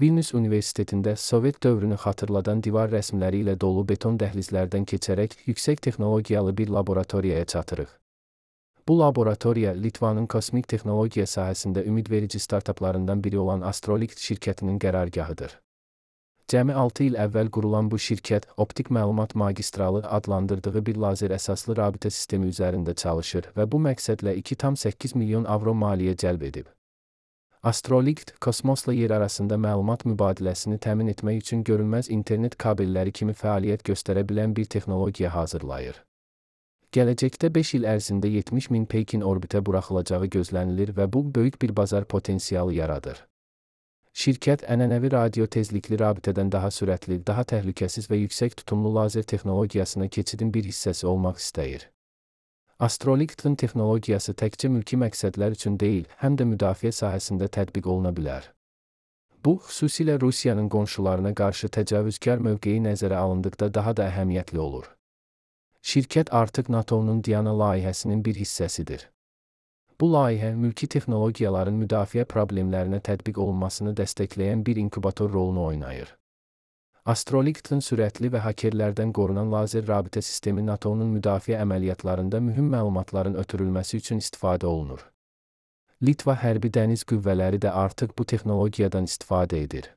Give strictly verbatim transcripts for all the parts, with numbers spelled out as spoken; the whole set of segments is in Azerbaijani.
Vilnius Universitetində Sovet dövrünü xatırladan divar rəsmləri ilə dolu beton dəhlizlərdən keçərək yüksək texnologiyalı bir laboratoriyaya çatırıq. Bu laboratoriya Litvanın kosmik texnologiya sahəsində ümidverici startaplarından biri olan Astrolikt şirkətinin qərargahıdır. Cəmi altı il əvvəl qurulan bu şirkət, optik məlumat magistralı adlandırdığı bir lazer əsaslı rabitə sistemi üzərində çalışır və bu məqsədlə iki tam səkkiz milyon avro maliyyə cəlb edib. Astrolikt, kosmosla yer arasında məlumat mübadiləsini təmin etmək üçün görünməz internet kabelləri kimi fəaliyyət göstərə bilən bir texnologiya hazırlayır. Gələcəkdə beş il ərzində yetmiş min peykin orbitə buraxılacağı gözlənilir və bu, böyük bir bazar potensialı yaradır. Şirkət, ənənəvi radio tezlikli rabitədən daha sürətli, daha təhlükəsiz və yüksək tutumlu lazer texnologiyasına keçidin bir hissəsi olmaq istəyir. Astroliktın texnologiyası təkcə mülki məqsədlər üçün deyil, həm də müdafiə sahəsində tətbiq oluna bilər. Bu, xüsusilə Rusiyanın qonşularına qarşı təcavüzkar mövqeyi nəzərə alındıqda daha da əhəmiyyətli olur. Şirkət artıq NATO'nun Diana layihəsinin bir hissəsidir. Bu layihə, mülki texnologiyaların müdafiə problemlərinə tətbiq olunmasını dəstəkləyən bir inkubator rolunu oynayır. Astroliktın sürətli və hakerlərdən qorunan lazer rabitə sistemi NATO'nun müdafiə əməliyyatlarında mühüm məlumatların ötürülməsi üçün istifadə olunur. Litva hərbi dəniz qüvvələri də artıq bu texnologiyadan istifadə edir.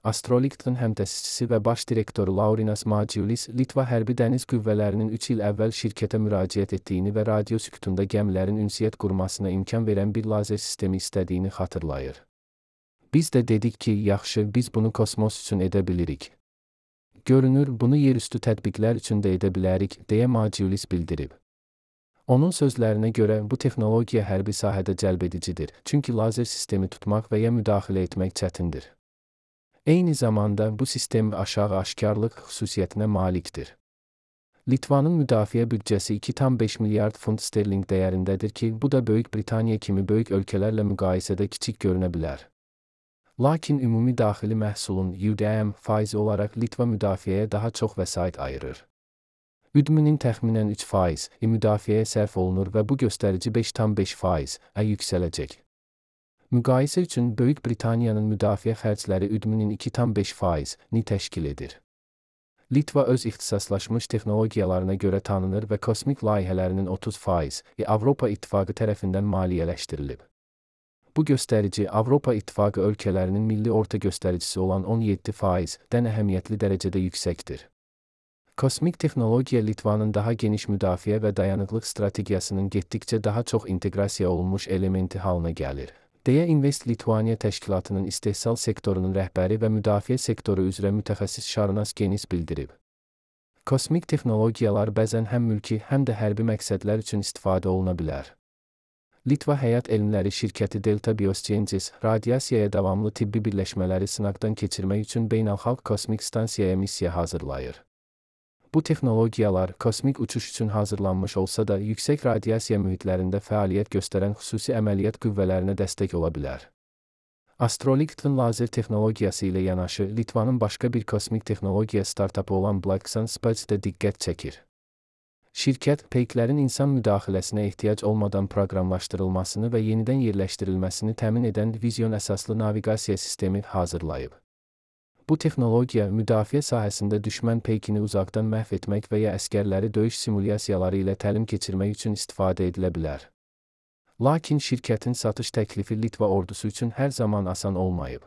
Astroliktın həmtəsisçisi və baş direktoru Laurinas Madžiulis, Litva hərbi dəniz qüvvələrinin üç il əvvəl şirkətə müraciət etdiyini və radio sükutunda gəmilərin ünsiyyət qurmasına imkan verən bir lazer sistemi istədiyini xatırlayır. Biz də dedik ki, yaxşı, biz bunu kosmos üçün edə bilirik. Görünür, bunu yerüstü tətbiqlər üçün də edə bilərik, deyə Madžiulis bildirib. Onun sözlərinə görə, bu texnologiya hərbi sahədə cəlbedicidir, çünki lazer sistemi tutmaq və ya müdaxilə etmək çətindir. Eyni zamanda bu sistem aşağı aşkarlıq xüsusiyyətinə malikdir. Litvanın müdafiə büdcəsi iki tam beş milyard funt sterling dəyərindədir ki, bu da Böyük Britaniya kimi böyük ölkələrlə müqayisədə kiçik görünə bilər. Lakin ümumi daxili məhsulun U D M faizi olaraq Litva müdafiəyə daha çox vəsait ayırır. U D M-nin təxminən üç faiz müdafiəyə sərf olunur və bu göstərici beş tam beş faiz-ə yüksələcək. Müqayisə üçün Böyük Britaniyanın müdafiə xərcləri U D M-nin iki tam beş faiz-ni təşkil edir. Litva öz ixtisaslaşmış texnologiyalarına görə tanınır və kosmik layihələrinin otuz faizi Avropa İttifaqı tərəfindən maliyyələşdirilib. Bu göstərici Avropa İttifaqı ölkələrinin milli orta göstəricisi olan on yeddi faiz-dən əhəmiyyətli dərəcədə yüksəkdir. Kosmik texnologiya Litvanın daha geniş müdafiə və dayanıqlıq strategiyasının getdikcə daha çox inteqrasiya olunmuş elementi halına gəlir, deyə Invest Litvania təşkilatının istehsal sektorunun rəhbəri və müdafiə sektoru üzrə mütəxəssis Şarunas Genis bildirib. Kosmik texnologiyalar bəzən həm mülki, həm də hərbi məqsədlər üçün istifadə oluna bilər. Litva Həyat Elmləri şirkəti Delta Biosciences, radiasiyaya davamlı tibbi birləşmələri sınaqdan keçirmək üçün beynəlxalq kosmik stansiyaya missiya hazırlayır. Bu texnologiyalar kosmik uçuş üçün hazırlanmış olsa da, yüksək radiasiya mühitlərində fəaliyyət göstərən xüsusi əməliyyat qüvvələrinə dəstək ola bilər. Astroliktın lazer texnologiyası ilə yanaşı, Litvanın başqa bir kosmik texnologiya startapı olan Blacksun Space də diqqət çəkir. Şirkət, peyklərin insan müdaxiləsinə ehtiyac olmadan proqramlaşdırılmasını və yenidən yerləşdirilməsini təmin edən vizyon əsaslı naviqasiya sistemi hazırlayıb. Bu texnologiya, müdafiə sahəsində düşmən peykini uzaqdan məhv etmək və ya əskərləri döyüş simulyasiyaları ilə təlim keçirmək üçün istifadə edilə bilər. Lakin şirkətin satış təklifi Litva ordusu üçün hər zaman asan olmayıb.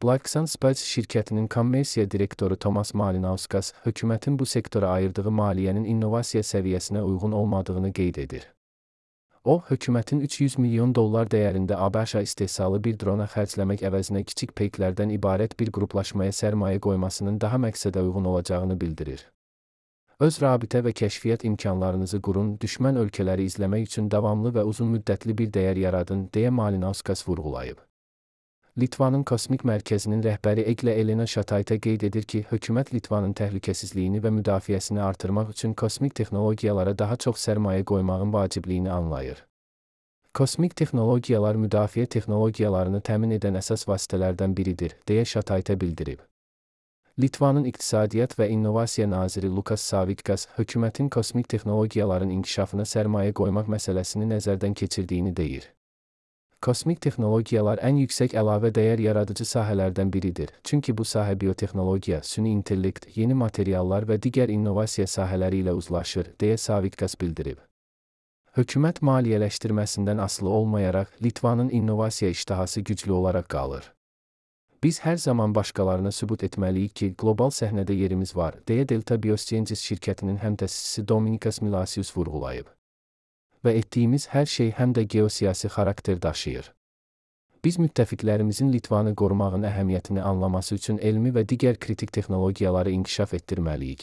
Blacksun Space şirkətinin kommersiya direktoru Tomas Malinauskas, hökumətin bu sektora ayırdığı maliyyənin innovasiya səviyyəsinə uyğun olmadığını qeyd edir. O, hökumətin üç yüz milyon dollar dəyərində ABŞ istehsalı bir drona xərcləmək əvəzinə kiçik peyklərdən ibarət bir qruplaşmaya sərmayə qoymasının daha məqsədə uyğun olacağını bildirir. Öz rabitə və kəşfiyyat imkanlarınızı qurun, düşmən ölkələri izləmək üçün davamlı və uzun müddətli bir dəyər yaradın, deyə Malinauskas vurğulayıb. Litvanın kosmik mərkəzinin rəhbəri Egle Elena Şatayta qeyd edir ki, hökumət Litvanın təhlükəsizliyini və müdafiəsini artırmaq üçün kosmik texnologiyalara daha çox sərmayə qoymağın vacibliyini anlayır. Kosmik texnologiyalar müdafiə texnologiyalarını təmin edən əsas vasitələrdən biridir, deyə Şatayta bildirib. Litvanın İqtisadiyyat və İnnovasiya naziri Lukas Savickas, hökumətin kosmik texnologiyaların inkişafına sərmayə qoymaq məsələsini nəzərdən keçirdiyini deyir. Kosmik texnologiyalar ən yüksək əlavə dəyər yaradıcı sahələrdən biridir, çünki bu sahə biotexnologiya, süni intellekt, yeni materiallar və digər innovasiya sahələri ilə uzlaşır, deyə Savickas bildirib. Hökumət maliyyələşdirməsindən asılı olmayaraq, Litvanın innovasiya iştahası güclü olaraq qalır. Biz hər zaman başqalarına sübut etməliyik ki, qlobal səhnədə yerimiz var, deyə Delta Biosciences şirkətinin həmtəsisçisi Dominikas Milasius vurğulayıb. Və etdiyimiz hər şey həm də geosiyasi xarakter daşıyır. Biz müttəfiqlərimizin Litvanı qorumağın əhəmiyyətini anlaması üçün elmi və digər kritik texnologiyaları inkişaf etdirməliyik.